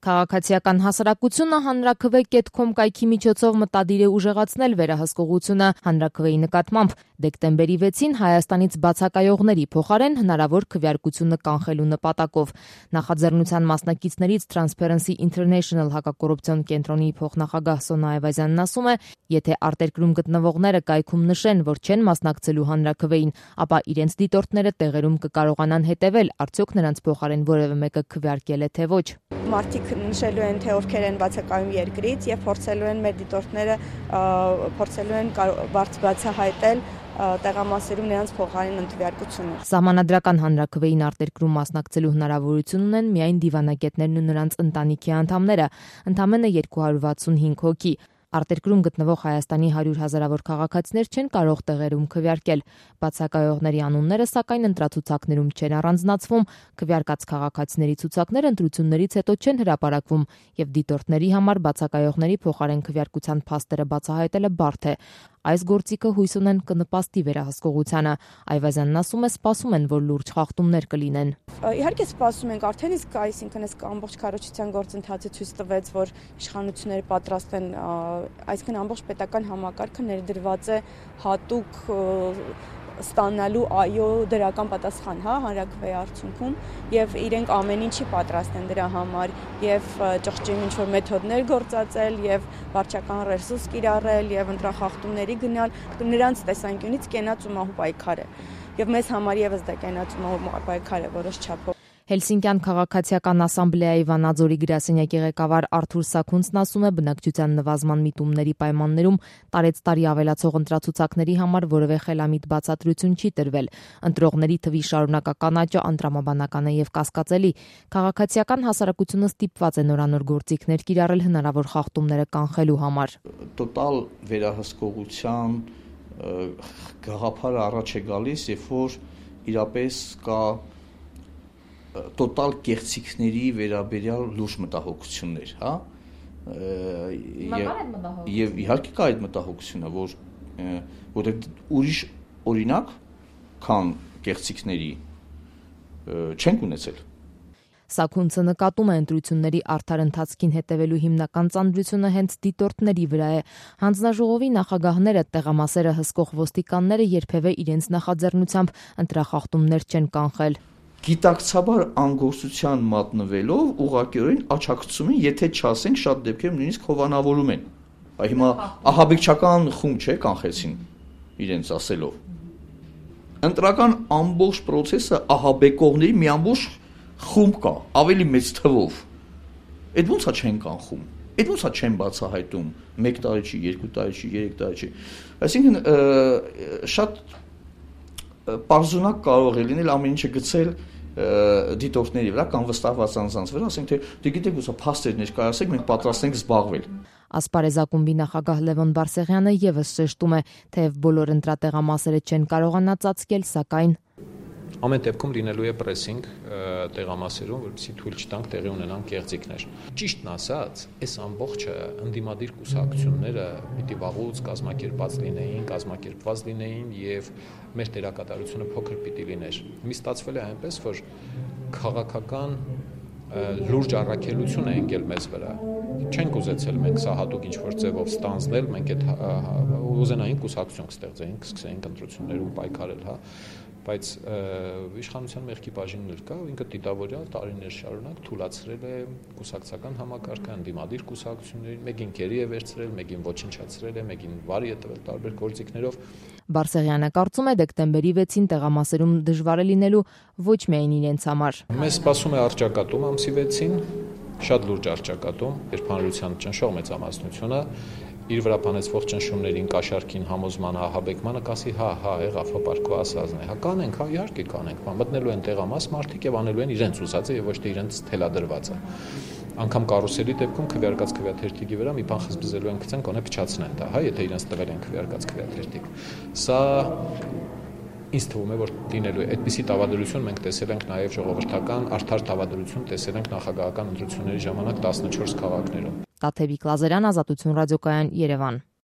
Քաղաքացիական հասարակությունը հանրաքվե.com կայքի միջոցով մտադիր է ուժեղացնել վերահսկողությունը հանրաքվեի նկատմամբ։ Դեկտեմբերի 6-ին Հայաստանից բացակայողների փոխարեն հնարավոր քվեարկությունը կանխելու նպատակով։ Նախաձեռնության մասնակիցներից Transparency International հակակոռուպցիոն կենտրոնի փոխնախագահ Սոնա Այվազյանն ասում է, եթե արտերկրում գտնվողները կայքում նշեն, որ չեն մասնակցելու հանրաքվեին, ապա իրենց դիտորդները տեղերում կկարողանան հետևել, արդյոք նրանց փոխարեն որևէ մեկը քվեարկել է թե ոչ։ Մարդիկ նշելու են, թե ովքեր են բացակայում երկրից եւ փորձելու են մեր դիտորդները բացահայտել տեղամասերում նրանց փոխարեն ընդվարկությունը։ Սահմանադրական հանրաքվեին արտերկրում մասնակցելու հնարավորություն ունեն միայն դիվանագետներն ու նրանց ընտանիքի անդամները, ընդամենը 265 հոգի։ Արտերկրում գտնվող Հայաստանի 100,000-ավոր քաղաքացիներ չեն կարող տեղերում քվեարկել։ Բացակայողների անունները, սակայն, ընտրացուցակներում չեն առանձնացվում, քվեարկած քաղաքացիների ցուցակները ընտրություններից հետո չեն հրապարակվում, եւ դիտորդների համար բացակայողների փոխարեն քվեարկության փաստերը բացահայտելը բարդ է։ Այս գործիքը հույս ունեն կնպաստի վերահսկողությանը։ Այվազյանն ասում է, սպասում են, որ լուրջ խախտումներ կլինեն։ Իհարկե սպասում ենք, արդեն իսկ այսինքն այս ամբողջ քարոզչության գործընթացը ցույց տվեց, որ իշխանությունները պատրաստ են, այսինքն ամբողջ պետական համակարգը ներդրված է հատուկ ստանալու դրական պատասխան, հանրաքվեի արդյունքում, եւ իրենք ամեն ինչի պատրաստ են դրա համար, եւ ճղճին ինչ-որ մեթոդներ գործածել, եւ վարչական ռեսուրս կիրառել, եւ ընտրախախտումների գնալ, նրանց տեսանկյունից կենաց ու մահու պայքար է, եւ մեզ համար եւս դա կենաց ու մահու պայքար է որոշ չափով։ Հելսինկյան քաղաքացիական ասամբլեայի Վանաձորի գրասենյակի ղեկավար Արթուր Սաքունցն ասում է, բնակչության նվազման միտումների պայմաններում տարեցտարի ավելացող ընտրացուցակների համար որևէ խելամիտ բացատրություն չի տրվել։ Ընտրողների թվի շարունակական աճը անտրամաբանական է եւ կասկածելի։ Քաղաքացիական հասարակությունը ստիպված է նորանոր գործիքներ կիրառել հնարավոր խախտումները կանխելու համար։ Տոտալ վերահսկողության գաղափարը առաջ է գալիս, երբ որ իրապես կա տոտալ կեղծիքների վերաբերյալ լուրջ մտահոգություններ, եւ իհարկե կա այդ մտահոգությունը, որտեղ ուրիշ օրինակ, քան կեղծիքների չենք ունեցել։ Սաքունցը նկատում է ընտրությունների արդար ընթացքին հետևելու հիմնական ծանրությունը հենց դիտորդների վրա է։ Հանձնաժողովի նախագահները, տեղամասերը հսկող ոստիկանները երբևէ իրենց նախաձեռնությամբ ընտրախախտումներ չեն կանխել։ Գիտակցաբար անգործության մատնվելով ուղղակիորեն աչակցում են, եթե չասենք շատ դեպքերում նույնիսկ հովանավորում են։ Հիմա ահաբեկչական խումբ չէ կանխեցին իրենց ասելով։ Ընտրական ամբողջ process-ը ահաբեկողների մի ամբողջ խումբ կա, ավելի մեծ թվով։ Այդ ո՞նց է չեն կանխում։ Այդ ո՞նց է չեն բացահայտում 1 տարի չի, 2 տարի չի, 3 տարի չի։ Այսինքն շատ պարզունակ կարող է լինել ամեն ինչը գցել դիտորդների վրա կամ վստահված անձանց վրա, ասենք թե դե գիտեք ուսա փաստեր ներկայացեք, մենք պատրաստ ենք զբաղվել։ Ասպարեզ ակումբի նախագահ Լևոն Բարսեղյանը եւս շեշտում է, թեև բոլոր ընտրատեղամասերը չեն կարողանա ծածկել, սակայն ամեն դեպքում լինելու է պրեսինգ տեղամասերում, որպեսզի թույլ չտանք տեղի ունենան կեղծիքներ։ Ճիշտն ասած, այս ամբողջը ընդդիմադիր կուսակցությունները պիտի վաղուց կազմակերպված լինեին եւ մեր դերակատարությունը փոքր պիտի լիներ։ Մի ստացվել է այնպես, որ քաղաքական լուրջ առաքելություն է եկել մեզ վրա։ Չենք ուզեցել մենք սա հատուկ ինչ-որ ձևով ստանձնել, մենք այդ ուզենային կուսակցություն կստեղծեինք, սկսեինք ընտրություններում պայքարել, բայց իշխանության մեղքի բաժինն էլ կա, ինքը դիտավորյալ տարիներ շարունակ թուլացրել է կուսակցական համակարգը, ընդդիմադիր կուսակցություններին, մեկին գերի է վերցրել, մեկին ոչնչացրել է, մեկին վարի է տվել տարբեր գործիքներով։ Բարսեղյանը կարծում է դեկտեմբերի 6-ին տեղամասերում դժվար է լինելու ոչ միայն իրենց համար։ Մեզ սպասում է առճակատում ամսի 6-ին, շատ լուրջ առճակատում, երբ հանրության ճնշող մեծամասնությունը իր վրա բանեցվող ճնշումներին, կաշառքին, համոզմանը, ահաբեկմանը կասի եղավ, պարկու ասածն է։ Կանենք, իհարկե կանենք, մտնելու են տեղամաս մարդիկ եւ անելու են իրենց ուզածը եւ ոչ թե իրենց թելադրվածը։ Անգամ կարուսելի դեպքում քվեարկած քվեաթերթիկի վրա մի բան խզբզելու են գցեն, կոնե փչացնեն դա, եթե իրենց տվել են քվեարկած քվեաթերթիկ։ Սա ինձ թվում է, որ լինելու է այդպիսի տավադրություն մենք տեսել ենք նաև ժողովրդական արդար տավադրություն տեսել ենք նախագահական ընտրությունների ժամանակ 14 քաղաքներում։ Տաթևիկ Լազարյան, Ազատություն ռադիոկայան, Երևան։